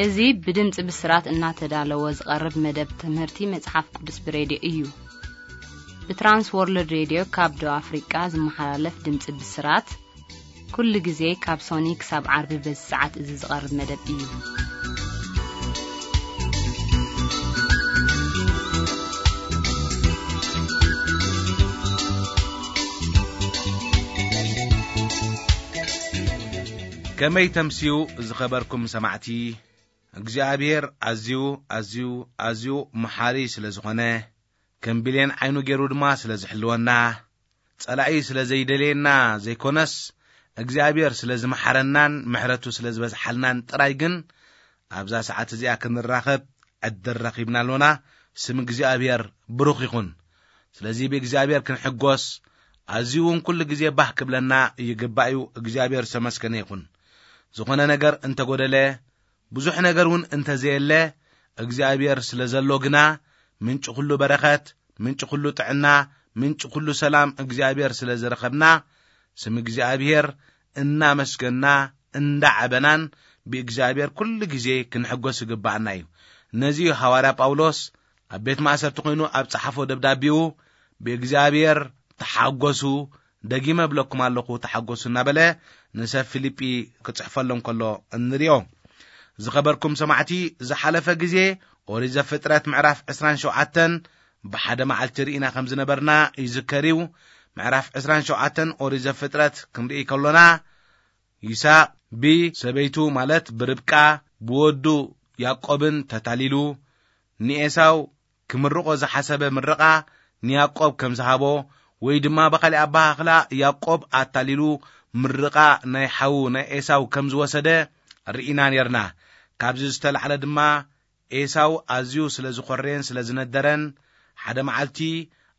እዚ ብድምፂ ብስራት እናተዳለወ ዝቐርብ መደብ ትምህርቲ መጽሓፍ ቅዱስ ብሬድዮ እዩ። ብትራንስ ወርልድ ሬድዮ ካብ ደቡብ ኣፍሪቃ ዝመሓላለፍ ድምፂ ብስራት፣ ኩሉ ግዜ ካብ ሶኒ ክሳብ ዓርቢ በዚ ሰዓት እዚ ዝቐርብ መደብ እዩ። ከመይ ተምስዩ ዝኸበርኩም ሰማዕቲ፣ እግዚኣብሔር ኣዝዩ፣ ኣዝዩ፣ ኣዝዩ መሓሪ ስለ ዝኾነ፣ ከም ብሌን ዓይኑ ገይሩ ድማ ስለ ዝሕልወና፣ ጸላኢ ስለ ዘይደልየና ዘይኮነስ፣ እግዚኣብሔር ስለ ዝመሓረናን ምሕረቱ ስለ ዝበዝሓልናን ጥራይ ግን፣ ኣብዛ ሰዓት እዚኣ ክንራኸብ ዕድል ረኺብና ኣሎና። ስም እግዚኣብሔር ብሩኽ ይኹን። ስለዚ ብእግዚኣብሔር ክንሕጎስ፣ ኣዝዩ እውን ኩሉ ግዜ ባህ ክብለና ይግባእ እዩ። እግዚኣብሔር ዝተመስገነ ይኹን። ዝኾነ ነገር እንተጎደለ፣ ብዙሕ ነገር እውን እንተዘየለ፣ እግዚኣብሔር ስለ ዘሎ ግና፣ ምንጪ ኩሉ በረኸት፣ ምንጪ ኩሉ ጥዕና፣ ምንጪ ኩሉ ሰላም እግዚኣብሔር ስለ ዝረኸብና፣ ስም እግዚኣብሔር እናመስገና፣ እንዳዓበናን ብእግዚኣብሔር ኩሉ ግዜ ክንሕጎስ ይግባኣና እዩ። ነዚ እዩ ሃዋርያ ጳውሎስ ኣብ ቤት ማእሰርቲ ኮይኑ ኣብ ጸሓፎ ደብዳቤኡ፣ "ብእግዚኣብሔር ተሓጎሱ፣ ደጊመ እብለኩም ኣለኹ ተሓጎሱ" እናበለ ንሰብ ፊልጲ ክጽሕፈሎም ከሎ እንሪኦ። ዝኸበርኩም ሰማዕቲ፣ ዝሓለፈ ግዜ ኦሪት ዘፍጥረት ምዕራፍ ዕስራን ሸውዓተን ብሓደ መዓልቲ ርኢና ከም ዝነበርና ይዝከር እዩ። ምዕራፍ ዕስራን ሸውዓተን ኦሪት ዘፍጥረት ክንርኢ ከሎና፣ ይስሐቅ ብሰበይቱ ማለት ብርብቃ ብወዱ ያዕቆብን ተታሊሉ፣ ንኤሳው ክምርቆ ዝሓሰበ ምርቓ ንያዕቆብ ከም ዝሃቦ፣ ወይ ድማ ብኻልእ ኣበሃህላ ያዕቆብ ኣታሊሉ ምርቓ ናይ ሓዉ ናይ ኤሳው ከም ዝወሰደ ርኢና ኔርና። ካብዚ ዝተላዕለ ድማ ኤሳው ኣዝዩ ስለ ዝኾረየን ስለ ዝነደረን፣ ሓደ መዓልቲ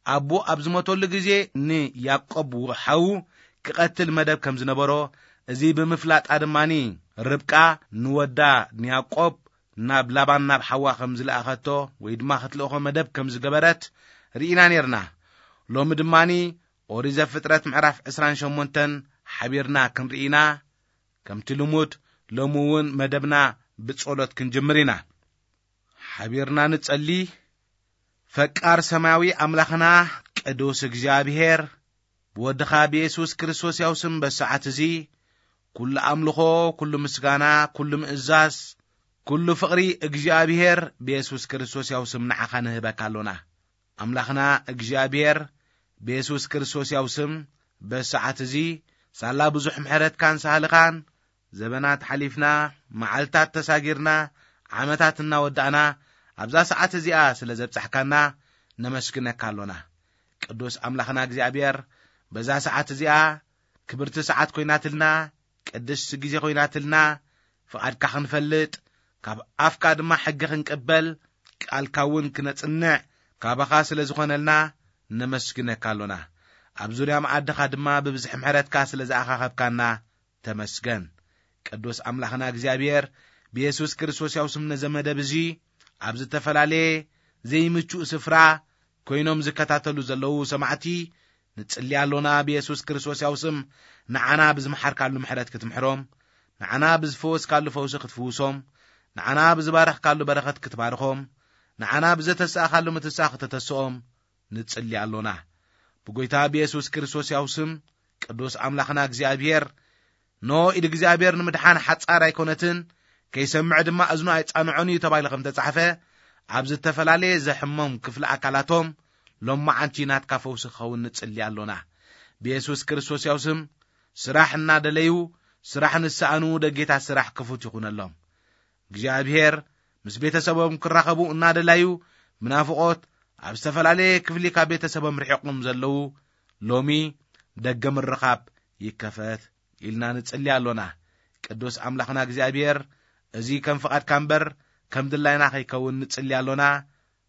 ኣቦ ኣብ ዝሞተሉ ግዜ ንያዕቆብ ሓዉ ክቐትል መደብ ከም ዝነበሮ፣ እዚ ብምፍላጣ ድማኒ ርብቃ ንወዳ ንያዕቆብ ናብ ላባን ናብ ሓዋ ከም ዝለኣኸቶ ወይ ድማ ክትልእኾ መደብ ከም ዝገበረት ርኢና ኔርና። ሎሚ ድማኒ ኦሪት ዘፍጥረት ምዕራፍ ዕስራን ሸሞንተን ሓቢርና ክንርኢ ኢና። ከምቲ ልሙድ ሎሚ እውን መደብና ብጸሎት ክንጅምር ኢና። ሓቢርና ንጸሊ። ፈቃር ሰማያዊ ኣምላኽና ቅዱስ እግዚኣብሔር፣ ብወድኻ ብየሱስ ክርስቶስ ያው ስም በሰዓት እዚ ኩሉ ኣምልኾ፣ ኩሉ ምስጋና፣ ኩሉ ምእዛዝ፣ ኩሉ ፍቕሪ እግዚኣብሔር ብየሱስ ክርስቶስ ያው ስም ንዓኻ ንህበካ ኣሎና። ኣምላኽና እግዚኣብሔር ብየሱስ ክርስቶስ ያው ስም በሰዓት እዚ ሳላ ብዙሕ ምሕረትካን ሳህልኻን ዘበናት ሓሊፍና፣ መዓልታት ተሳጊርና፣ ዓመታት እናወዳእና፣ ኣብዛ ሰዓት እዚኣ ስለ ዘብጻሕካና ነመስግነካ ኣሎና። ቅዱስ ኣምላኽና እግዚኣብሔር፣ በዛ ሰዓት እዚኣ ክብርቲ ሰዓት ኮይናትልና፣ ቅድስቲ ግዜ ኮይናትልና፣ ፍቓድካ ክንፈልጥ፣ ካብ ኣፍካ ድማ ሕጊ ክንቅበል፣ ቃልካ እውን ክነጽንዕ ካባኻ ስለ ዝኾነልና ነመስግነካ ኣሎና። ኣብ ዙርያ መኣድኻ ድማ ብብዝሒ ምሕረትካ ስለ ዝኣኻኸብካና ተመስገን። ቅዱስ ኣምላኽና እግዚኣብሔር፣ ብየሱስ ክርስቶስ ያው ስም ነዚ መደብ እዚ ኣብ ዝተፈላለየ ዘይምቹእ ስፍራ ኮይኖም ዝከታተሉ ዘለዉ ሰማዕቲ ንጽሊ ኣሎና። ብየሱስ ክርስቶስ ያው ስም ንዓና ብዝመሓርካሉ ምሕረት ክትምሕሮም፣ ንዓና ብዝፈወስካሉ ፈውሲ ክትፍውሶም፣ ንዓና ብዝባረኽካሉ በረኸት ክትባርኾም፣ ንዓና ብዘተሳእኻሉ ምትሳእ ክተተስኦም ንጽሊ ኣሎና። ብጎይታ ብየሱስ ክርስቶስ ያው ስም፣ ቅዱስ ኣምላኽና እግዚኣብሔር፣ ኖ ኢድ እግዚኣብሔር ንምድሓን ሓጻር ኣይኮነትን፣ ከይሰምዕ ድማ እዝኑ ኣይጻንዖን እዩ ተባሂሉ ከም ተጻሕፈ፣ ኣብ ዝተፈላለየ ዘሕሞም ክፍሊ ኣካላቶም ሎማዓንቲ ናትካ ፈውሲ ክኸውን ንጽሊ ኣሎና። ብየሱስ ክርስቶስ ያው ስም፣ ስራሕ እናደለዩ፣ ስራሕ ንሰኣኑ ደጌታት ስራሕ ክፉት ይኹነሎም። እግዚኣብሔር ምስ ቤተሰቦም ክራኸቡ እናደላዩ፣ ብናፍቖት ኣብ ዝተፈላለየ ክፍሊ ካብ ቤተሰቦም ርሒቖም ዘለዉ፣ ሎሚ ደገ ምርኻብ ይከፈት ኢልና ንጽሊ ኣሎና። ቅዱስ ኣምላኽና እግዚኣብሔር፣ እዚ ከም ፍቓድካ እምበር ከም ድላይና ከይከውን ንጽሊ ኣሎና።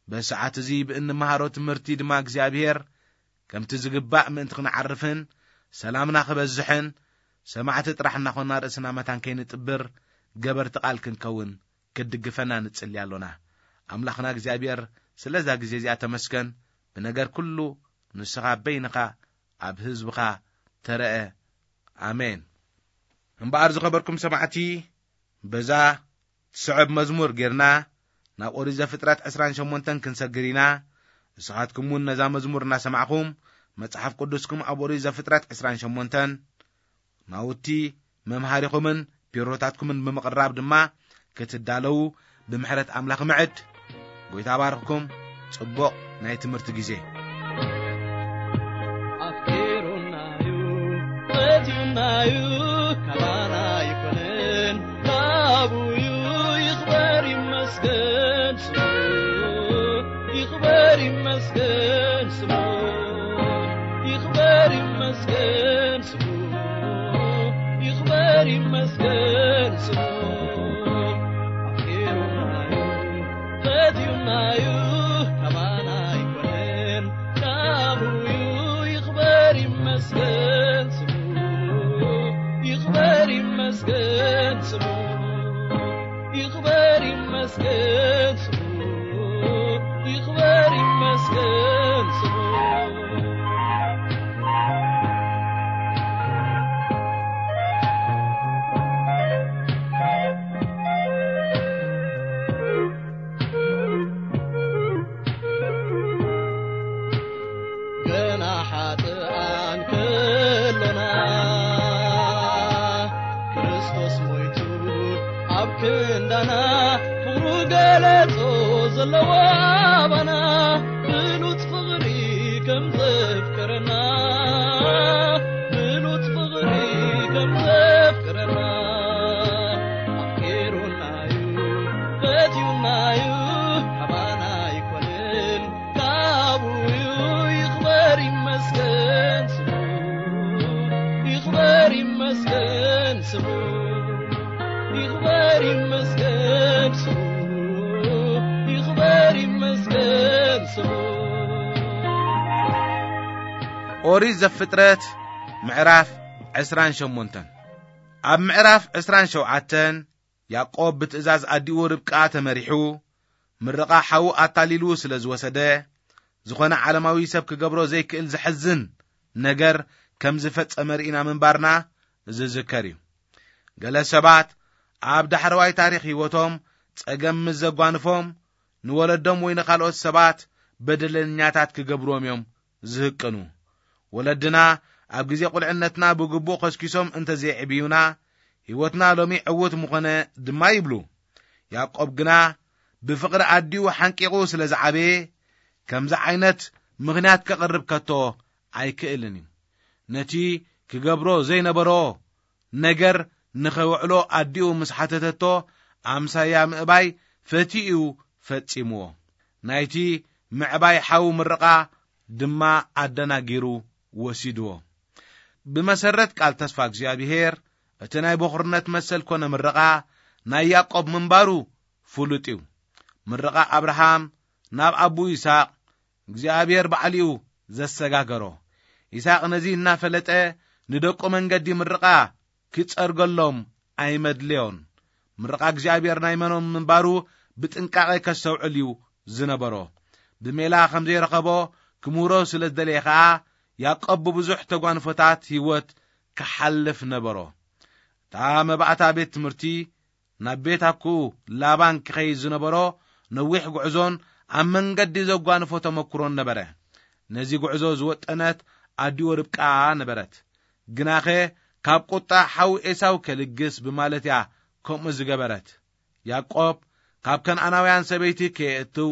በሰዓት እዚ ብእንመሃሮ ትምህርቲ ድማ እግዚኣብሔር፣ ከምቲ ዝግባእ ምእንቲ ክንዓርፍን ሰላምና ክበዝሕን፣ ሰማዕቲ ጥራሕ እናኾንና ርእስና መታን ከይንጥብር፣ ገበርቲ ቃል ክንከውን ክትድግፈና ንጽሊ ኣሎና። ኣምላኽና እግዚኣብሔር፣ ስለዛ ግዜ እዚኣ ተመስገን። ብነገር ኩሉ ንስኻ በይንኻ ኣብ ህዝብኻ ተረአ። ኣሜን። እምበኣር ዝኸበርኩም ሰማዕቲ፣ በዛ ስዕብ መዝሙር ጌርና ናብ ኦሪት ዘፍጥረት ዕስራን ሸሞንተን ክንሰግር ኢና። ንስኻትኩም እውን ነዛ መዝሙር እናሰማዕኹም መጽሓፍ ቅዱስኩም ኣብ ኦሪት ዘፍጥረት ዕስራን ሸሞንተን ናውቲ መምሃሪኹምን ቢሮታትኩምን ብምቕራብ ድማ ክትዳለዉ ብምሕረት ኣምላኽ ምዕድ። ጎይታ ባርኽኩም። ጽቡቕ ናይ ትምህርቲ ግዜ። ኣፍቂሩናዩ፣ ፈትዩናዩ፣ ካባና ኣይኮነን፣ ካቡዩ። ይኽበር ይመስገን ስሙ፣ ይኽበር ይመስገን ስሙ፣ ይኽበር ይመስገን ስሙ፣ ይኽበር ይመስገን ስሙ። ኣፍቂሩናዩ፣ ፈትዩናዩ፣ ካባና ኣይኮነን፣ ካቡዩ። ይኽበር ይመስገን ስሙ፣ ይኽበር ይመስገን ስሙ፣ ይኽበር ይመስገን ስሙ፣ ይኽበር ይመስገን ስሙ። ገና ሓጥኣን ከሎና፣ ክርስቶስ ሞይቱ ኣብ ክንዳና፣ ፍቕሩ ገለጾ ዘለዎ ኣባና። ብሉጽ ፍቕሪ ከም ዘፍቀረና፣ ብሉጽ ፍቕሪ ከም ዘፍቀረና፣ ኣፍቂሩናዩ፣ ፈትዩናዩ፣ ካባና ኣይኮነን፣ ካቡዩ። ይኽበር ይመስገን ስሙ፣ ይኽበር ይመስገን ስሙ፣ ይኽበር ይመስገን ስሙ፣ ይኽበር ይመስገን ስሙ። ኦሪት ዘፍጥረት ምዕራፍ ዕስራን ሸሞንተን። ኣብ ምዕራፍ ዕስራን ሸውዓተን ያዕቆብ ብትእዛዝ ኣዲኡ ርብቃ ተመሪሑ፣ ምርቓ ሓዉ ኣታሊሉ ስለ ዝወሰደ፣ ዝኾነ ዓለማዊ ሰብ ክገብሮ ዘይክእል ዘሕዝን ነገር ከም ዝፈጸመ ርኢና ምንባርና ዝዝከር እዩ። ገለ ሰባት ኣብ ዳሕረዋይ ታሪኽ ህይወቶም ጸገም ምስ ዘጓንፎም፣ ንወለዶም ወይ ንኻልኦት ሰባት በደለኛታት ክገብርዎም እዮም ዝህቅኑ። ወለድና ኣብ ግዜ ቁልዕነትና ብግቡእ ኸስኪሶም እንተዘይዕብዩና፣ ህይወትና ሎሚ ዕዉት ምኾነ ድማ ይብሉ። ያዕቆብ ግና ብፍቕሪ ኣዲኡ ሓንቂቑ ስለ ዝዓበየ፣ ከምዚ ዓይነት ምኽንያት ከቕርብ ከቶ ኣይክእልን እዩ። ነቲ ክገብሮ ዘይነበሮ ነገር ንኸውዕሎ ኣዲኡ ምስ ሓተተቶ፣ ኣምሳያ ምእባይ ፈትዩ እዩ ፈጺምዎ። ናይቲ ምዕባይ ሓው ምርቓ ድማ ኣደናጊሩ ወሲድዎ። ብመሰረት ቃል ተስፋ እግዚኣብሄር፣ እቲ ናይ በኹርነት መሰል ኮነ ምርቓ ናይ ያዕቆብ ምንባሩ ፍሉጥ እዩ። ምርቓ ኣብርሃም ናብ ኣቡ ይስሐቅ እግዚኣብሄር ባዕሊኡ ዘሰጋገሮ። ይስሐቅ ነዚ እናፈለጠ ንደቁ መንገዲ ምርቓ ክጸርገሎም ኣይመድለዮን። ምርቓ እግዚኣብሔር ናይ መኖም ምንባሩ ብጥንቃቐ ከስተውዕል እዩ ዝነበሮ። ብሜላ ከም ዘይረኸቦ ክምህሮ ስለ ዝደለየ ኸኣ፣ ያዕቆብ ብብዙሕ ተጓንፎታት ህይወት ክሓልፍ ነበሮ። እታ መባእታ ቤት ትምህርቲ ናብ ቤት ኣኩኡ ላባን ክኸይድ ዝነበሮ ነዊሕ ጉዕዞን ኣብ መንገዲ ዘጓንፎ ተመክሮን ነበረ። ነዚ ጉዕዞ ዝወጠነት ኣዲኡ ርብቃ ነበረት። ግናኸ ካብ ቁጣ ሓው ኤሳው ከልግስ ብማለት እያ ከምኡ ዝገበረት። ያዕቆብ ካብ ከነኣናውያን ሰበይቲ ከየእትው፣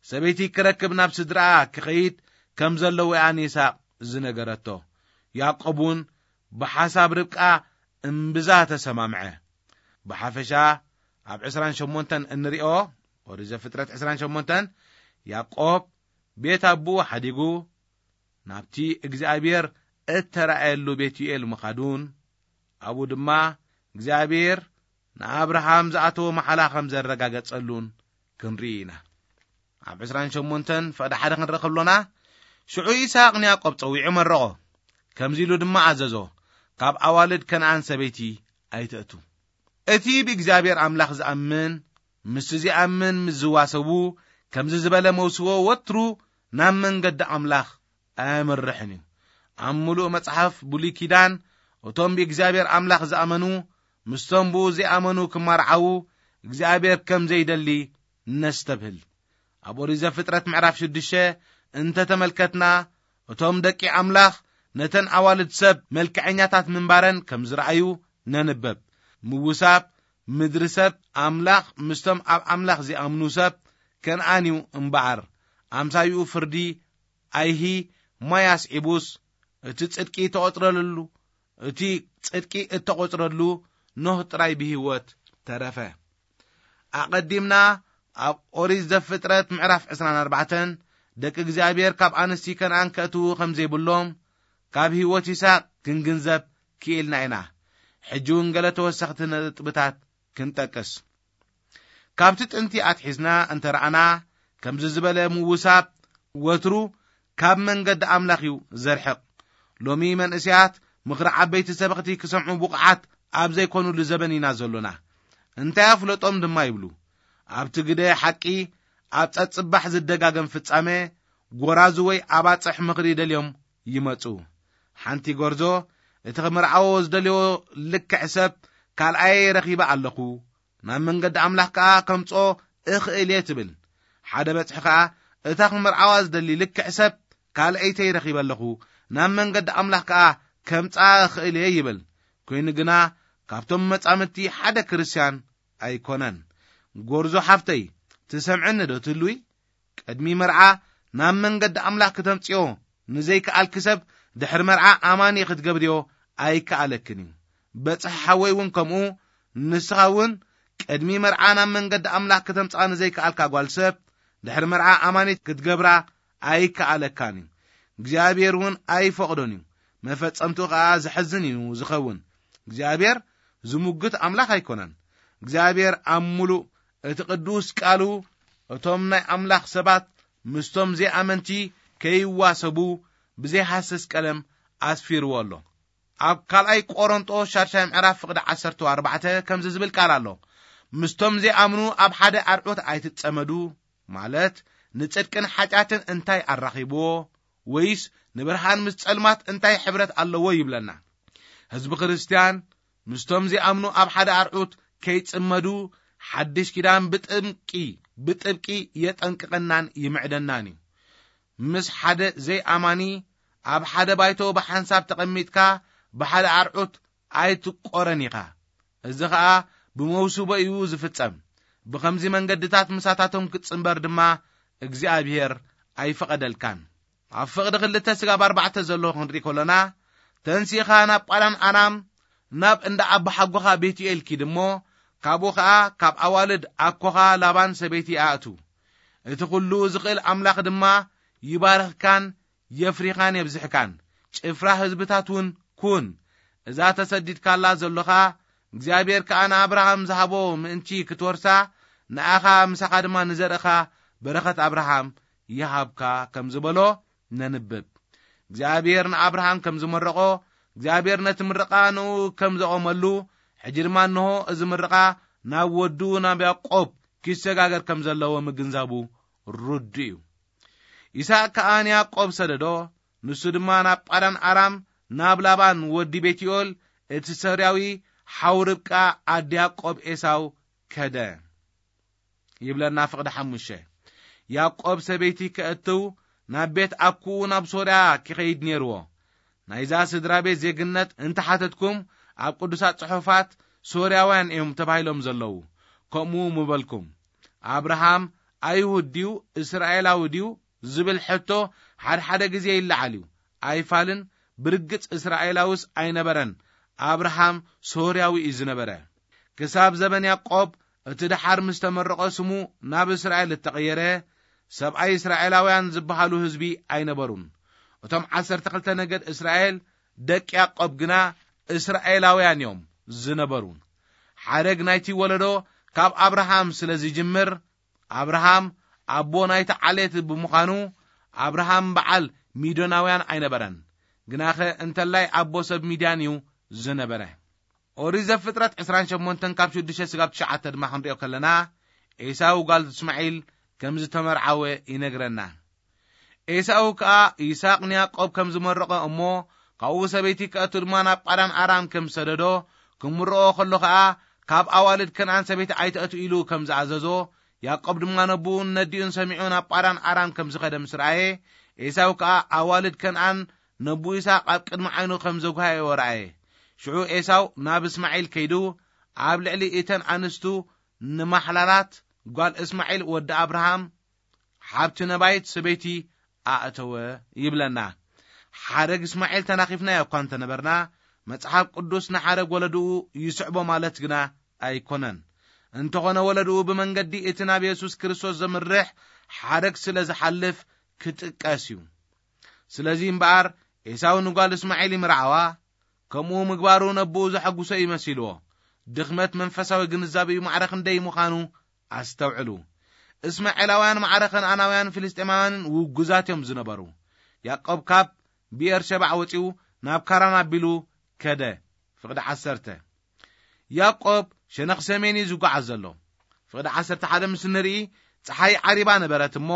ሰበይቲ ክረክብ ናብ ስድራኣ ክኸይድ ከም ዘለዎ እያ ንይስሐቅ ዝነገረቶ። ያዕቆብ እውን ብሓሳብ ርብቃ እምብዛ ተሰማምዐ። ብሓፈሻ ኣብ ዕስራን ሸሞንተን እንሪኦ፣ ኦሪት ዘፍጥረት ዕስራን ሸሞንተን፣ ያዕቆብ ቤት ኣቦኡ ሓዲጉ ናብቲ እግዚኣብሔር እተራእየሉ ቤት ዩኤል ምኻዱን፣ ኣብኡ ድማ እግዚኣብሔር ንኣብርሃም ዝኣተዎ መሓላ ከም ዘረጋገጸሉን ክንርኢ ኢና። ኣብ ዕስራን ሸሞንተን ፍቕዲ ሓደ ክንርኢ ከሎና፣ ሽዑ ይስሐቅ ንያዕቆብ ጸዊዑ መረቖ። ከምዚ ኢሉ ድማ ኣዘዞ፣ "ካብ ኣዋልድ ከነኣን ሰበይቲ ኣይትእቱ።" እቲ ብእግዚኣብሔር ኣምላኽ ዝኣምን፣ ምስቲ ዘይኣምን ምስ ዝዋሰቡ፣ ከምዚ ዝበለ መውስቦ ወትሩ ናብ መንገዲ ኣምላኽ ኣየምርሕን እዩ። ኣብ ምሉእ መጽሓፍ ብሉይ ኪዳን፣ እቶም ብእግዚኣብሔር ኣምላኽ ዝኣመኑ፣ ምስቶም ብኡ ዘይኣመኑ ክመርዓዉ፣ እግዚኣብሔር ከም ዘይደሊ ነስተብህል። ኣብ ኦሪት ዘፍጥረት ምዕራፍ ሽዱሽተ እንተተመልከትና፣ እቶም ደቂ ኣምላኽ ነተን ኣዋልድ ሰብ መልክዐኛታት ምንባረን ከም ዝረኣዩ ነንበብ። ምውሳብ ምድሪ ሰብ ኣምላኽ ምስቶም ኣብ ኣምላኽ ዚኣምኑ ሰብ ከነኣን እዩ እምበኣር፣ ኣምሳይኡ ፍርዲ ኣይሂ ማይ ኣስዒቡስ፣ እቲ ጽድቂ ተቖጽረሉ፣ እቲ ጽድቂ እተቖጽረሉ ኖህ ጥራይ ብህይወት ተረፈ። ኣቐዲምና ኣብ ኦሪት ዘፍጥረት ምዕራፍ ዕስራን ኣርባዕተን ደቂ እግዚኣብሔር ካብ ኣንስቲ ከነኣን ከእትዉ ከም ዘይብሎም ካብ ህይወት ይስሐቅ ክንግንዘብ ክኢልና ኢና። ሕጂ እውን ገለ ተወሰኽቲ ነጥብታት ክንጠቅስ። ካብቲ ጥንቲ ኣትሒዝና እንተ ረኣና፣ ከምዚ ዝበለ ምውሳብ ወትሩ ካብ መንገዲ ኣምላኽ እዩ ዘርሕቕ። ሎሚ መንእሰያት ምኽሪ ዓበይቲ ሰበኽቲ ክሰምዑ ብቑዓት ኣብ ዘይኮኑሉ ዘበን ኢና ዘሎና። እንታይ ኣፍለጦም ድማ ይብሉ። ኣብቲ ግደ ሓቂ፣ ኣብ ጸጽባሕ ዝደጋገም ፍጻመ፣ ጎራዙ ወይ ኣባጽሕ ምኽሪ ደልዮም ይመጹ። ሓንቲ ጎርዞ፣ እቲ ክምርዓዎ ዝደልዮ ልክዕ ሰብ ካልኣየ ረኺበ ኣለኹ፣ ናብ መንገዲ ኣምላኽ ከኣ ከምጽኦ እኽእል እየ ትብል። ሓደ በጽሒ ከኣ፣ እታ ክምርዓዋ ዝደሊ ልክዕ ሰብ ካልኣይተይ ረኺበ ኣለኹ፣ ናብ መንገዲ ኣምላኽ ከኣ ከምጽኣ እኽእል እየ ይብል። ኮይኑ ግና፣ ካብቶም መጻምድቲ ሓደ ክርስትያን ኣይኮነን። ጎርዞ ሓፍተይ፣ ትሰምዕኒ ዶ ትህልዊ? ቅድሚ መርዓ ናብ መንገዲ ኣምላኽ ክተምጽዮ ንዘይከኣልኪ ሰብ፣ ድሕሪ መርዓ ኣማኒ ክትገብርዮ ኣይከኣለክን እዩ። በጽሒ ሓወይ እውን ከምኡ፣ ንስኻ እውን ቅድሚ መርዓ ናብ መንገዲ ኣምላኽ ክተምጽኣ ንዘይከኣልካ ጓል ሰብ፣ ድሕሪ መርዓ ኣማኒት ክትገብራ ኣይከኣለካን እዩ። እግዚኣብሔር እውን ኣይፈቕዶን እዩ። መፈጸምትኡ ኸኣ ዘሕዝን እዩ ዝኸውን። እግዚኣብሔር ዝሙግት ኣምላኽ ኣይኮነን። እግዚኣብሔር ኣብ ምሉእ እቲ ቅዱስ ቃሉ፣ እቶም ናይ ኣምላኽ ሰባት ምስቶም ዘይኣመንቲ ከይዋሰቡ ብዘይሃስስ ቀለም ኣስፊርዎ ኣሎ። ኣብ ካልኣይ ቆሮንጦስ ሻድሻይ ምዕራፍ ፍቕዲ ዓሰርተ ኣርባዕተ ከምዚ ዝብል ቃል ኣሎ፣ ምስቶም ዘይኣምኑ ኣብ ሓደ ኣርዑት ኣይትጸመዱ፣ ማለት ንጽድቅን ሓጢኣትን እንታይ ኣራኺብዎ? ወይስ ንብርሃን ምስ ጸልማት እንታይ ሕብረት ኣለዎ ይብለና። ህዝቢ ክርስትያን ምስቶም ዚኣምኑ ኣብ ሓደ ኣርዑት ከይጽመዱ፣ ሓድሽ ኪዳን ብጥብቂ፣ ብጥብቂ የጠንቅቐናን ይምዕደናን እዩ። ምስ ሓደ ዘይኣማኒ ኣብ ሓደ ባይቶ ብሓንሳብ ተቐሚጥካ ብሓደ ኣርዑት ኣይትቆረን ኢኻ። እዚ ኸኣ ብመውስቦ እዩ ዝፍጸም። ብኸምዚ መንገድታት ምሳታቶም ክትጽንበር ድማ እግዚኣብሔር ኣይፈቐደልካን። ኣብ ፍቕዲ ክልተ ስጋብ ኣርባዕተ ዘሎ ክንርኢ ከሎና፣ ተንሲእኻ ናብ ጳዳን ኣራም፣ ናብ እንዳ ኣቦሓጎኻ ቤትኤል ኪድ እሞ፣ ካብኡ ኸኣ ካብ ኣዋልድ ኣኮኻ ላባን ሰበይቲ ኣእቱ። እቲ ኹሉ ዝኽእል ኣምላኽ ድማ ይባርኽካን የፍሪኻን የብዝሕካን፣ ጭፍራ ህዝብታት እውን ኩን። እዛ ተሰዲድካላ ዘሎኻ እግዚኣብሔር ከኣ ንኣብርሃም ዝሃቦ ምእንቲ ክትወርሳ፣ ንኣኻ ምሳኻ ድማ ንዘርእኻ በረኸት ኣብርሃም ይሃብካ ከም ዝበሎ ነንብብ። እግዚኣብሔር ንኣብርሃም ከም ዝመረቖ፣ እግዚኣብሔር ነቲ ምርቓ ንኡ ከም ዘቖመሉ፣ ሕጂ ድማ እንሆ እዚ ምርቓ ናብ ወዱ ናብ ያዕቆብ ኪሰጋገር ከም ዘለዎ ምግንዛቡ ርዱእ እዩ። ይስሐቅ ከኣ ንያዕቆብ ሰደዶ፣ ንሱ ድማ ናብ ጳዳን ኣራም ናብ ላባን ወዲ ቤትዮል እቲ ሶርያዊ ሓው ርብቃ ኣዲ ያዕቆብ ኤሳው ከደ። ይብለና ፍቕዲ ሓሙሽተ። ያዕቆብ ሰበይቲ ከእትው ናብ ቤት ኣኩኡ ናብ ሶርያ ክኸይድ ነይርዎ። ናይዛ ስድራ ቤት ዜግነት እንተሓተትኩም፣ ኣብ ቅዱሳት ጽሑፋት ሶርያውያን እዮም ተባሂሎም ዘለዉ። ከምኡ ምበልኩም። ኣብርሃም ኣይሁድ ድዩ እስራኤላዊ ድዩ ዝብል ሕቶ ሓድሓደ ግዜ ይለዓል እዩ። ኣይፋልን፣ ብርግጽ እስራኤላውስ ኣይነበረን። ኣብርሃም ሶርያዊ እዩ ዝነበረ። ክሳብ ዘበን ያዕቆብ እቲ ደሓር ምስ ተመረቐ ስሙ ናብ እስራኤል እተቐየረ፣ ሰብኣይ እስራኤላውያን ዝበሃሉ ህዝቢ ኣይነበሩን። እቶም ዓሰርተ ክልተ ነገድ እስራኤል ደቂ ያዕቆብ ግና እስራኤላውያን እዮም ዝነበሩ። ሓረግ ናይቲ ወለዶ ካብ ኣብርሃም ስለ ዝጅምር፣ ኣብርሃም ኣቦ ናይቲ ዓሌት ብምዃኑ፣ ኣብርሃም በዓል ሚዶናውያን ኣይነበረን። ግናኸ እንተላይ ኣቦ ሰብ ሚድያን እዩ ዝነበረ። ኦሪት ዘፍጥረት ዕስራን ሸሞንተን ካብ ሽዱሽተ ስጋብ ትሽዓተ ድማ ክንሪኦ ከለና፣ ኤሳው ጓል እስማዒል ከም ዝተመርዓወ ይነግረና። ኤሳው ከኣ ይስሐቅ ንያዕቆብ ከም ዝመረቐ እሞ፣ ካብኡ ሰበይቲ ከእቱ ድማ ናብ ጳዳን ኣራም ከም ዝሰደዶ፣ ክምርቖ ከሎ ኸኣ ካብ ኣዋልድ ከነኣን ሰበይቲ ኣይትእቱ ኢሉ ከም ዝኣዘዞ፣ ያዕቆብ ድማ ነቡኡን ነዲኡን ሰሚዑ ናብ ጳዳን ኣራም ከም ዝኸደ ምስ ረኣየ፣ ኤሳው ከኣ ኣዋልድ ከነኣን ነቡ ይስሐቅ ኣብ ቅድሚ ዓይኑ ከም ዘጓየዎ ረኣየ። ሽዑ ኤሳው ናብ እስማዒል ከይዱ፣ ኣብ ልዕሊ እተን ኣንስቱ ንማሕላላት ጓል እስማዒል ወዲ ኣብርሃም ሓብቲ ነባይት ሰበይቲ ኣእተወ ይብለና። ሓረግ እስማዒል ተናኺፍናዮ እኳ እንተነበርና፣ መጽሓፍ ቅዱስ ንሓረግ ወለድኡ ይስዕቦ ማለት ግና ኣይኮነን። እንተኾነ ወለድኡ ብመንገዲ እቲ ናብ የሱስ ክርስቶስ ዘምርሕ ሓረግ ስለ ዝሓልፍ ክጥቀስ እዩ። ስለዚ እምበኣር ኤሳው ንጓል እስማዒል ይምርዓዋ፣ ከምኡ ምግባሩ ነብኡ ዘሐጉሶ እዩ መሲልዎ። ድኽመት መንፈሳዊ ግንዛቤኡ ማዕረ ክንደይ ምዃኑ ኣስተውዕሉ። እስማኤላውያን ማዕረ ከነኣናውያን ፍልስጤማውያንን ውጉዛት እዮም ዝነበሩ። ያዕቆብ ካብ ብኤርሸባዕ ወጺኡ ናብ ካራን ኣቢሉ ከደ። ፍቕዲ ዓሰርተ። ያዕቆብ ሸነኽ ሰሜን እዩ ዝጓዓዝ ዘሎ። ፍቕዲ ዓሰርተ ሓደ ምስ ንርኢ፣ ጸሓይ ዓሪባ ነበረት እሞ፣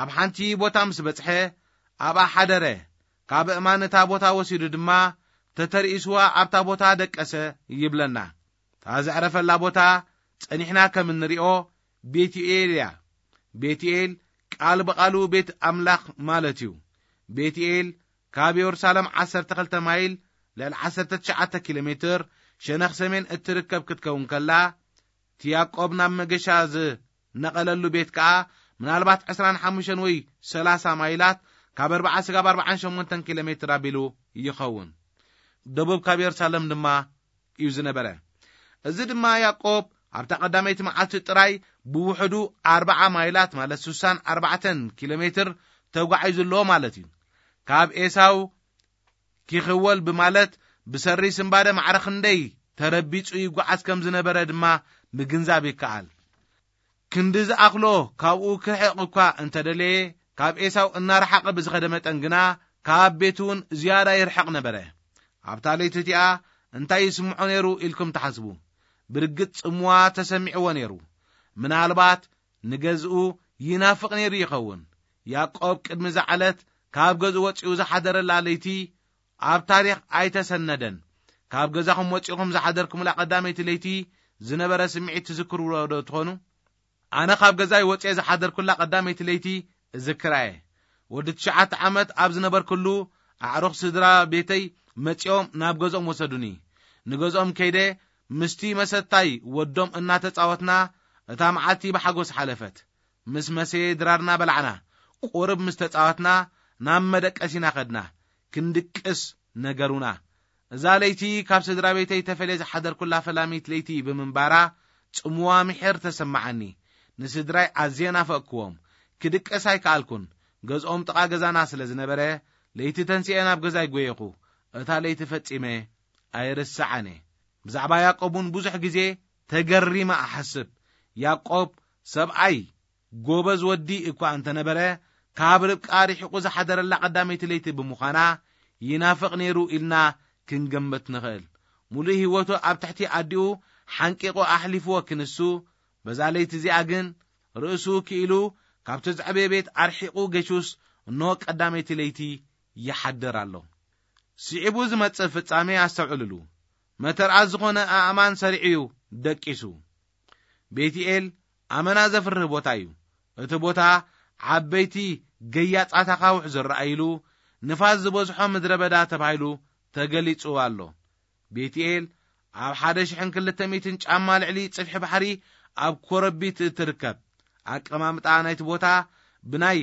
ኣብ ሓንቲ ቦታ ምስ በጽሐ፣ ኣብኣ ሓደረ። ካብ እማን እታ ቦታ ወሲዱ ድማ፣ ተተርኢስዋ ኣብታ ቦታ ደቀሰ ይብለና። እታ ዘዕረፈላ ቦታ ጸኒሕና ከም እንሪኦ ቤትኤል እያ። ቤትኤል ቃል ብቓሉ ቤት ኣምላኽ ማለት እዩ። ቤትኤል ካብ የሩሳሌም ዓሰርተ ክልተ ማይል፣ ልዕሊ ዓሰርተ ትሽዓተ ኪሎ ሜትር፣ ሸነኽ ሰሜን እትርከብ ክትከውን ከላ፣ እቲ ያዕቆብ ናብ መገሻ ዝነቐለሉ ቤት ከኣ ምናልባት ዕስራን ሓሙሽተን ወይ ሰላሳ ማይላት፣ ካብ ኣርብዓ ስጋብ ኣርብዓን ሸሞንተን ኪሎ ሜትር ኣቢሉ ይኸውን። ደቡብ ካብ የሩሳሌም ድማ እዩ ዝነበረ። እዚ ድማ ያዕቆብ ኣብታ ቀዳመይቲ መዓልቲ ጥራይ ብውሕዱ ኣርብዓ ማይላት፣ ማለት ስሳን ኣርባዕተን ኪሎ ሜትር ተጓዒዙ ኣሎ ማለት እዩ። ካብ ኤሳው ኪኽወል ብማለት ብሰሪ ስንባደ ማዕረ ክንደይ ተረቢጹ ይጓዓዝ ከም ዝነበረ ድማ ምግንዛብ ይከኣል። ክንዲ ዝኣኽሎ ካብኡ ክርሕቕ እኳ እንተደለየ፣ ካብ ኤሳው እናረሓቐ ብዝኸደ መጠን ግና፣ ካብ ቤቱ እውን ዝያዳ ይርሕቕ ነበረ። ኣብታ ለይቲ እቲኣ እንታይ ይስምዖ ነይሩ ኢልኩም ትሓስቡ? ብርግጽ ጽምዋ ተሰሚዕዎ ነይሩ። ምናልባት ንገዝኡ ይናፍቕ ነይሩ ይኸውን። ያዕቆብ ቅድሚ እዛ ዕለት ካብ ገዝኡ ወጺኡ ዝሓደረላ ለይቲ ኣብ ታሪኽ ኣይተሰነደን። ካብ ገዛኹም ወጺኹም ዝሓደርኩምላ ቀዳመይቲ ለይቲ ዝነበረ ስምዒት ትዝክርዎ ዶ ትኾኑ? ኣነ ካብ ገዛይ ወጺኤ ዝሓደርኩላ ቀዳመይቲ ለይቲ እዝክራ እየ። ወዲ ትሽዓተ ዓመት ኣብ ዝነበርኩሉ፣ ኣዕሩኽ ስድራ ቤተይ መጺኦም ናብ ገዝኦም ወሰዱኒ። ንገዝኦም ከይደ ምስቲ መሰታይ ወዶም እናተጻወትና፣ እታ መዓልቲ ብሓጎስ ሓለፈት። ምስ መሰየ ድራርና በላዕና። ቁርብ ምስ ተጻወትና፣ ናብ መደቀሲና ከድና። ክንድቅስ ነገሩና። እዛ ለይቲ ካብ ስድራ ቤተይ ተፈልየ ዝሓደርኩላ ፈላሚት ለይቲ ብምንባራ፣ ጽምዋ ምሒር ተሰማዓኒ። ንስድራይ ኣዝየ ናፈቅክዎም። ክድቅስ ኣይከኣልኩን። ገዝኦም ጥቓ ገዛና ስለ ዝነበረ፣ ለይቲ ተንሲኤ ናብ ገዛይ ጎየኹ። እታ ለይቲ ፈጺመ ኣይርስዓን እየ። ብዛዕባ ያዕቆብ እውን ብዙሕ ግዜ ተገሪመ እሓስብ። ያዕቆብ ሰብኣይ ጎበዝ ወዲ እኳ እንተነበረ፣ ካብ ርብቃ ርሒቑ ዝሓደረላ ቀዳመይቲ ለይቲ ብምዃና፣ ይናፍቕ ነይሩ ኢልና ክንገምት ንኽእል። ሙሉእ ህይወቱ ኣብ ትሕቲ ኣዲኡ ሓንቂቑ ኣሕሊፍዎ ክንሱ፣ በዛ ለይቲ እዚኣ ግን ርእሱ ክኢሉ ካብቲ ዘዕበየ ቤት ኣርሒቑ ገሹስ፣ እንሆ ቀዳመይቲ ለይቲ ይሓድር ኣሎ። ስዒቡ ዝመጽእ ፍጻሜ ኣስተውዕልሉ። መተርኣስ ዝኾነ ኣእማን ሰሪዑ እዩ ደቂሱ። ቤትኤል ኣመና ዘፍርህ ቦታ እዩ። እቲ ቦታ ዓበይቲ ገያጻት ኣኻውሕ ዝረኣይሉ፣ ንፋስ ዝበዝሖ ምድረ በዳ ተባሂሉ ተገሊጹ ኣሎ። ቤትኤል ኣብ ሓደ ሽሕን ክልተ ሚእትን ጫማ ልዕሊ ጽፍሒ ባሕሪ ኣብ ኮረቢት እትርከብ። ኣቀማምጣ ናይቲ ቦታ ብናይ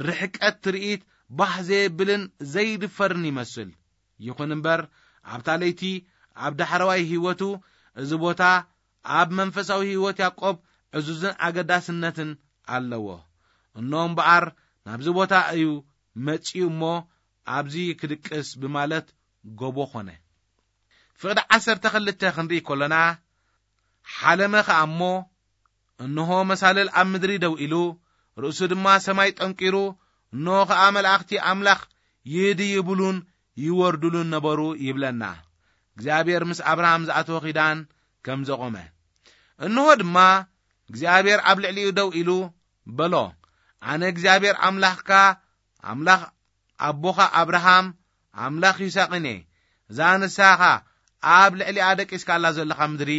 ርሕቀት ትርኢት ባህ ዘየብልን ዘይድፈርን ይመስል። ይኹን እምበር፣ ኣብታ ለይቲ ኣብ ዳሕረዋይ ህይወቱ፣ እዚ ቦታ ኣብ መንፈሳዊ ህይወት ያዕቆብ ዕዙዝን ኣገዳስነትን ኣለዎ። እኖ እምበኣር፣ ናብዚ ቦታ እዩ መጺኡ እሞ፣ ኣብዚ ክድቅስ ብማለት ጎቦ ኾነ። ፍቕዲ ዓሰርተ ክልተ ክንርኢ ከሎና፣ ሓለመ ኸኣ እሞ፣ እንሆ መሳልል ኣብ ምድሪ ደው ኢሉ፣ ርእሱ ድማ ሰማይ ጠንቂሩ፣ እንሆ ኸኣ መላእኽቲ ኣምላኽ ይድይብሉን ይወርዱሉን ነበሩ ይብለና። እግዚኣብሔር ምስ ኣብርሃም ዝኣተወ ኺዳን ከም ዘቖመ። እንሆ ድማ እግዚኣብሔር ኣብ ልዕሊኡ ደው ኢሉ በሎ፣ ኣነ እግዚኣብሔር ኣምላኽካ፣ ኣምላኽ ኣቦኻ ኣብርሃም፣ ኣምላኽ ይስሐቅን እየ። እዛ ንስኻ ኣብ ልዕሊኣ ደቂስካላ ዘለኻ ምድሪ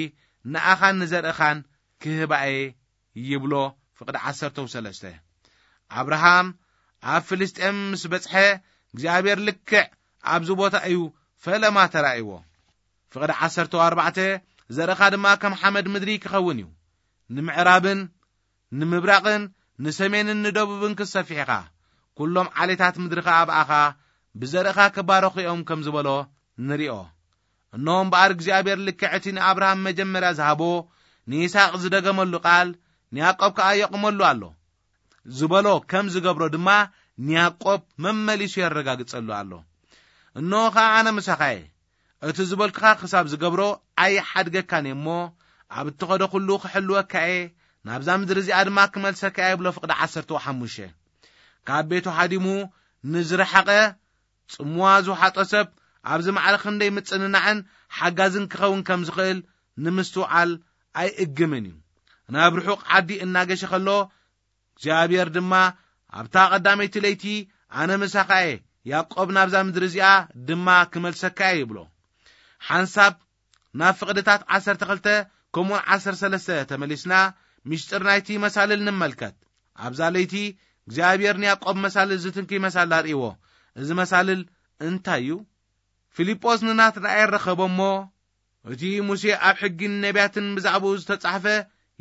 ንኣኻን ንዘርእኻን ክህባኤ ይብሎ። ፍቕዲ ዓሰርተ ሰለስተ ኣብርሃም ኣብ ፍልስጤም ምስ በጽሐ እግዚኣብሔር ልክዕ ኣብዚ ቦታ እዩ ፈለማ ተራእይዎ። ፍቕዲ ዓሰርተ ኣርባዕተ ዘርእኻ ድማ ከም ሓመድ ምድሪ ክኸውን እዩ። ንምዕራብን ንምብራቕን ንሰሜንን ንደቡብን ክትሰፊሕ ኢኻ። ኩሎም ዓሌታት ምድሪ ኸኣ ብኣኻ ብዘርእኻ ክባረኹ እዮም ከም ዝበሎ ንሪኦ። እነሆ እምበኣር እግዚኣብሔር ልክዕ እቲ ንኣብርሃም መጀመርያ ዝሃቦ ንይስሐቅ ዝደገመሉ ቃል ንያዕቆብ ከኣ የቕመሉ ኣሎ ዝበሎ ከም ዝገብሮ ድማ ንያዕቆብ መመሊሱ የረጋግጸሉ ኣሎ። እነሆ ኸኣ ኣነ ምሳኻ እየ። እቲ ዝበልኩኻ ክሳብ ዝገብሮ ኣይሓድገካን እየ እሞ ኣብ እትኸዶ ኩሉ ክሕልወካ እየ። ናብዛ ምድሪ እዚኣ ድማ ክመልሰካ እየ ብሎ። ፍቕዲ ዓሰርተ ሓሙሽተ ካብ ቤቱ ሃዲሙ ንዝረሓቐ ጽምዋ ዝውሓጦ ሰብ ኣብዚ ማዕረ ክንደይ ምጽንናዕን ሓጋዝን ክኸውን ከም ዝኽእል ንምስትውዓል ኣይእግምን እዩ። ናብ ርሑቕ ዓዲ እናገሸ ከሎ እግዚኣብሔር ድማ ኣብታ ቀዳመይቲ ለይቲ ኣነ ምሳኻ እየ፣ ያዕቆብ ናብዛ ምድሪ እዚኣ ድማ ክመልሰካ እየ ይብሎ። ሓንሳብ ናብ ፍቕድታት ዓሰርተ ክልተ ከምኡውን ዓሰርተ ሰለስተ ተመሊስና ምሽጥር ናይቲ መሳልል ንመልከት። ኣብዛ ለይቲ እግዚኣብሔር ንያዕቆብ መሳልል ዝትንክይ መሳልል ኣርእይዎ። እዚ መሳልል እንታይ እዩ? ፊልጶስ ንናትናኤል ረኸቦ እሞ እቲ ሙሴ ኣብ ሕጊን ነቢያትን ብዛዕባኡ ዝተጻሕፈ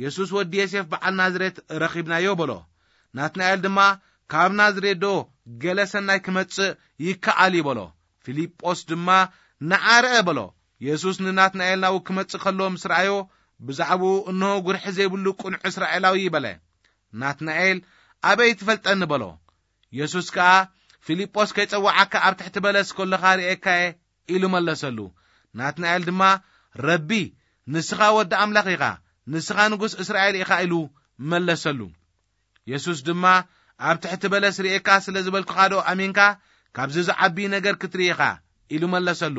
የሱስ ወዲ ዮሴፍ በዓል ናዝሬት ረኺብናዮ በሎ። ናትናኤል ድማ ካብ ናዝሬት ዶ ገለ ሰናይ ክመጽእ ይከኣል እዩ በሎ። ፊልጶስ ድማ ንዓ ርአ በሎ። የሱስ ንናትናኤል ናብኡ ክመጽእ ከሎ ምስ ረኣዮ ብዛዕባኡ እንሆ ጉርሒ ዘይብሉ ቅኑዕ እስራኤላዊ በለ። ናትናኤል ኣበይ ትፈልጠኒ በሎ። የሱስ ከኣ ፊልጶስ ከይጸውዓካ ኣብ ትሕቲ በለስ ከለኻ ርእየካ እየ ኢሉ መለሰሉ። ናትናኤል ድማ ረቢ ንስኻ ወዲ ኣምላኽ ኢኻ፣ ንስኻ ንጉስ እስራኤል ኢኻ ኢሉ መለሰሉ። የሱስ ድማ ኣብ ትሕቲ በለስ ርእየካ ስለ ዝበልኩኻ ዶ ኣሚንካ? ካብዚ ዝዓቢ ነገር ክትርኢ ኢኻ ኢሉ መለሰሉ።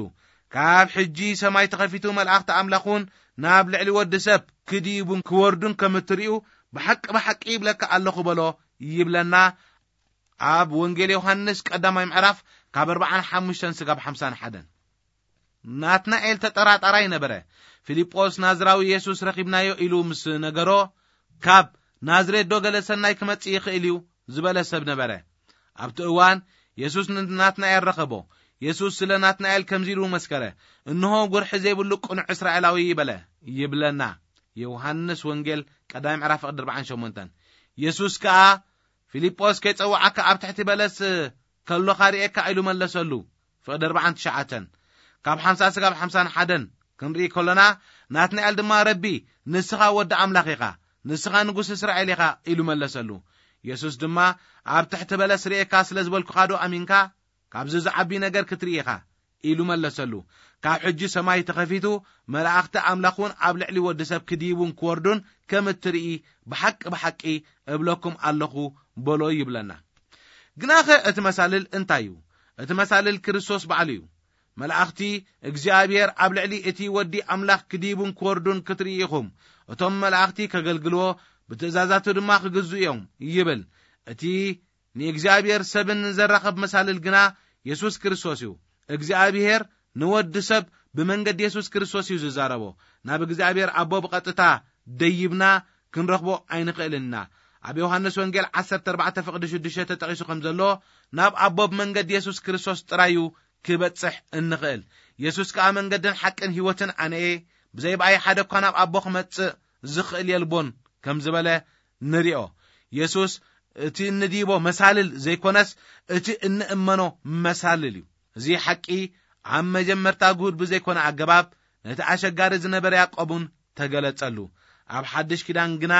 ካብ ሕጂ ሰማይ ተኸፊቱ መላእኽቲ ኣምላኽ እውን ናብ ልዕሊ ወዲ ሰብ ክድይቡን ክወርዱን ከም እትርእዩ ብሓቂ ብሓቂ ይብለካ ኣለኹ በሎ ይብለና። ኣብ ወንጌል ዮሃንስ ቀዳማይ ምዕራፍ ካብ ኣርባዓን ሓሙሽተን ስጋብ ሓምሳን ሓደን ናትናኤል ተጠራጣራይ ነበረ። ፊልጶስ ናዝራዊ የሱስ ረኺብናዮ ኢሉ ምስ ነገሮ ካብ ናዝሬት ዶ ገለ ሰናይ ክመጽእ ይኽእል እዩ ዝበለ ሰብ ነበረ። ኣብቲ እዋን የሱስ ንናትናኤል ረኸቦ። የሱስ ስለ ናትናኤል ከምዚ ኢሉ መስከረ፣ እንሆ ጉርሒ ዘይብሉ ቅኑዕ እስራኤላዊ በለ ይብለና። ዮሃንስ ወንጌል ቀዳማይ ምዕራፍ ፍቕዲ ኣርባዓን ሸሞንተን። የሱስ ከኣ ፊልጶስ ከይጸውዓካ ኣብ ትሕቲ በለስ ከሎኻ ርእየካ ኢሉ መለሰሉ። ፍቕዲ ኣርባዓን ትሽዓተን ካብ ሓምሳ ስጋብ ሓምሳን ሓደን ክንርኢ ከሎና ናትናኤል ድማ ረቢ ንስኻ ወዲ ኣምላኽ ኢኻ፣ ንስኻ ንጉስ እስራኤል ኢኻ ኢሉ መለሰሉ። የሱስ ድማ ኣብ ትሕቲ በለስ ርእየካ ስለ ዝበልኩኻ ዶ ኣሚንካ? ካብዚ ዝዓቢ ነገር ክትርኢ ኢኻ ኢሉ መለሰሉ። ካብ ሕጂ ሰማይ ተኸፊቱ መላእኽቲ ኣምላኽ እውን ኣብ ልዕሊ ወዲ ሰብ ክድይቡን ክወርዱን ከም እትርኢ ብሓቂ ብሓቂ እብለኩም ኣለኹ በሎ ይብለና። ግናኸ እቲ መሳልል እንታይ እዩ? እቲ መሳልል ክርስቶስ ባዕሉ እዩ። መላእኽቲ እግዚኣብሔር ኣብ ልዕሊ እቲ ወዲ ኣምላኽ ክድይቡን ክወርዱን ክትርኢ ኢኹም። እቶም መላእኽቲ ከገልግልዎ ብትእዛዛቱ ድማ ክግዙ እዮም ይብል። እቲ ንእግዚኣብሔር ሰብን ዘራኸብ መሳልል ግና የሱስ ክርስቶስ እዩ። እግዚኣብሔር ንወዲ ሰብ ብመንገዲ የሱስ ክርስቶስ እዩ ዝዛረቦ። ናብ እግዚኣብሔር ኣቦ ብቐጥታ ደይብና ክንረኽቦ ኣይንኽእልን ኢና። ኣብ ዮሃንስ ወንጌል ዓሰርተ ኣርባዕተ ፍቕዲ ሽዱሽተ ተጠቒሱ ከም ዘሎ ናብ ኣቦ ብመንገዲ የሱስ ክርስቶስ ጥራይ እዩ ክበጽሕ እንኽእል። የሱስ ከኣ መንገድን ሓቅን ህይወትን ኣነ እየ፣ ብዘይ ብኣይ ሓደ እኳ ናብ ኣቦ ክመጽእ ዝኽእል የልቦን ከም ዝበለ ንሪኦ። የሱስ እቲ እንድይቦ መሳልል ዘይኮነስ እቲ እንእመኖ መሳልል እዩ። እዚ ሓቂ ኣብ መጀመርታ ግሁድ ብዘይኮነ ኣገባብ ነቲ ኣሸጋሪ ዝነበረ ያዕቆብ እውን ተገለጸሉ። ኣብ ሓድሽ ኪዳን ግና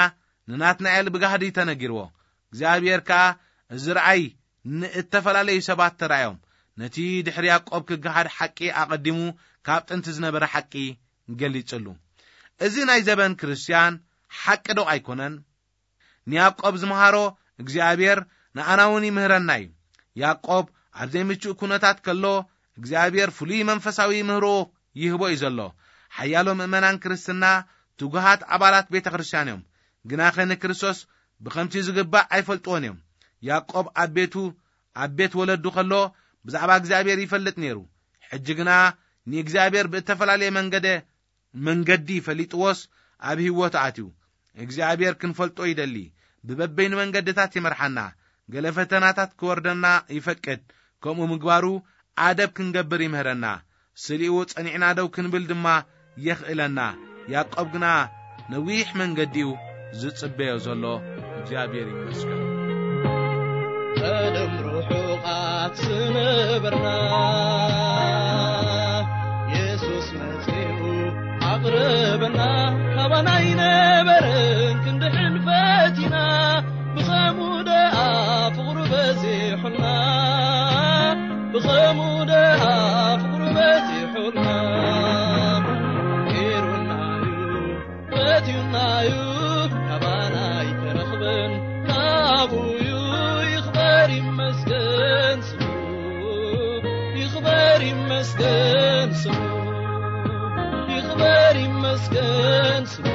ንናትናኤል ብጋህዲ ተነጊርዎ። እግዚኣብሔር ከኣ እዚ ረኣይ ንእተፈላለዩ ሰባት ተራእዮም። ነቲ ድሕሪ ያዕቆብ ክገሃድ ሓቂ ኣቐዲሙ ካብ ጥንቲ ዝነበረ ሓቂ ገሊጽሉ። እዚ ናይ ዘበን ክርስትያን ሓቂ ዶ ኣይኮነን? ንያዕቆብ ዝመሃሮ እግዚኣብሔር ንኣና እውን ይምህረና እዩ። ያዕቆብ ኣብ ዘይምቹእ ኩነታት ከሎ እግዚኣብሔር ፍሉይ መንፈሳዊ ምህሮ ይህቦ እዩ ዘሎ። ሓያሎ ምእመናን ክርስትና ትጉሃት ኣባላት ቤተ ክርስትያን እዮም፣ ግናኸ ንክርስቶስ ብኸምቲ ዝግባእ ኣይፈልጥዎን እዮም። ያዕቆብ ኣብ ቤቱ ኣብ ቤት ወለዱ ከሎ ብዛዕባ እግዚኣብሔር ይፈልጥ ነይሩ። ሕጂ ግና ንእግዚኣብሔር ብእተፈላለየ መንገደ መንገዲ ፈሊጥዎስ ኣብ ህይወት ኣትዩ። እግዚኣብሔር ክንፈልጦ ይደሊ። ብበበይኑ መንገድታት ይመርሓና። ገለ ፈተናታት ክወርደና ይፈቅድ። ከምኡ ምግባሩ ኣደብ ክንገብር ይምህረና። ስሊኡ ጸኒዕና ደው ክንብል ድማ የኽእለና። ያዕቆብ ግና ነዊሕ መንገዲ'ዩ ዝጽበዮ ዘሎ። እግዚኣብሔር ይመስገን። ቀደም ርሑቓት ዝነበርና፣ የሱስ መጺኡ ኣቕረበና። ካባና ኣይነበረን ክንድሕን ፈቲና፣ ብኸምኡ ደኣ ፍቕሩ በዚሑልና፣ ብኸምኡ ደኣ ፍቕሩ በዚሑልና። ጌሩናዩ፣ ፈትዩናዩ፣ ካባና ኣይተረኽበን፣ ካቡዩ። ይኽበር ይመስገን ስሙ፣ ይኽበር ይመስገን ስሙ፣ ይኽበር ይመስገን ስሙ፣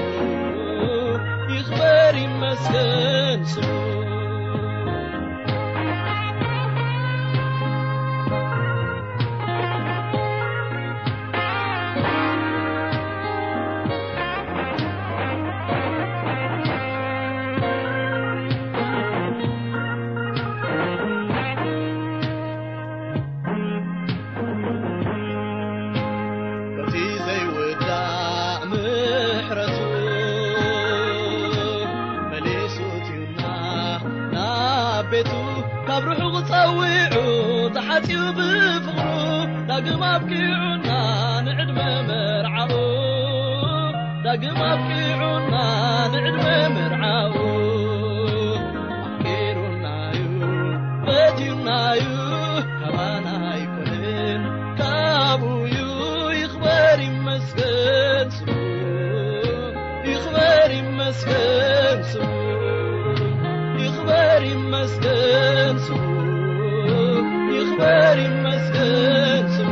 ይኽበር ይመስገን ስሙ። በቲ ዘይውዳእ ምሕረቱ መሊሱ እትዩና ናብ ቤቱ፣ ካብ ርሑቕ ጸዊዑ ተሓጽዩ ብፍቕሩ፣ ዳግም ኣብቂዑና ንዕድመ መርዓኡ፣ ዳግም ኣብቂዑና ንዕድመ መርዓኡ። ኣፍቂሩናዩ፣ ፈትዩናዩ፣ ካባና ኣይኮነን፣ ካቡዩ። ይኽበር ይመስገን ስሙ፣ ይኽበር ይመስገን ስሙ፣ ይኽበር ይመስገን ስሙ፣ ይኽበር ይመስገን ስሙ።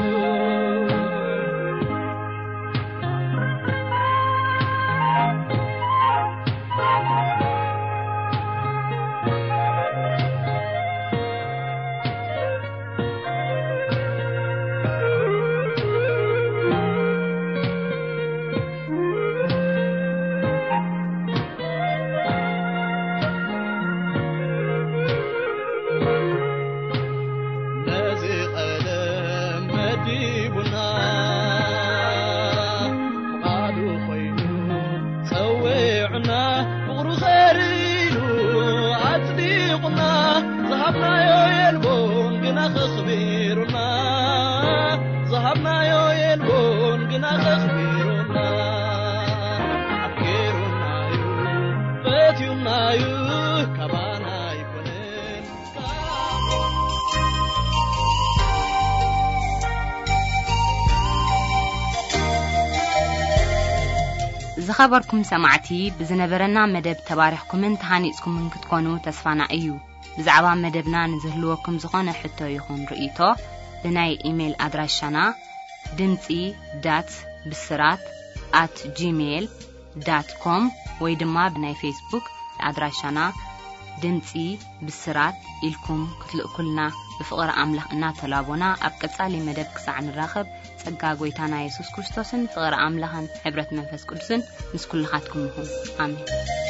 ነዚ ቀደም መዲቡና፣ ፍቓዱ ኮይኑ ጸዊዑና፣ ፍቕሩ ኸሪሉ ኣጽዲቑና፣ ዝሃብናዮ የልቦን ግና ኸኽቢሩና፣ ዝሃብናዮ የልቦን ግና ኸኽቢሩና። ኣፍቂሩናዩ፣ ፈትዩናዩ፣ ካባና ኣይኮነን። ዝኸበርኩም ሰማዕቲ፣ ብዝነበረና መደብ ተባሪኽኩምን ተሃኒጽኩምን ክትኮኑ ተስፋና እዩ። ብዛዕባ መደብና ንዝህልወኩም ዝኾነ ሕቶ ይኹን ርእይቶ፣ ብናይ ኢሜይል ኣድራሻና ድምጺ ዳት ብስራት ኣት ጂሜይል ዳት ኮም ወይ ድማ ብናይ ፌስቡክ ኣድራሻና ድምጺ ብስራት ኢልኩም ክትልእኩልና ብፍቕሪ ኣምላኽ እናተላቦና፣ ኣብ ቀጻሊ መደብ ክሳዕ ንራኸብ፣ ጸጋ ጐይታና የሱስ ክርስቶስን ፍቕሪ ኣምላኽን ሕብረት መንፈስ ቅዱስን ምስ ኩልኻትኩም ይኹን። ኣሜን።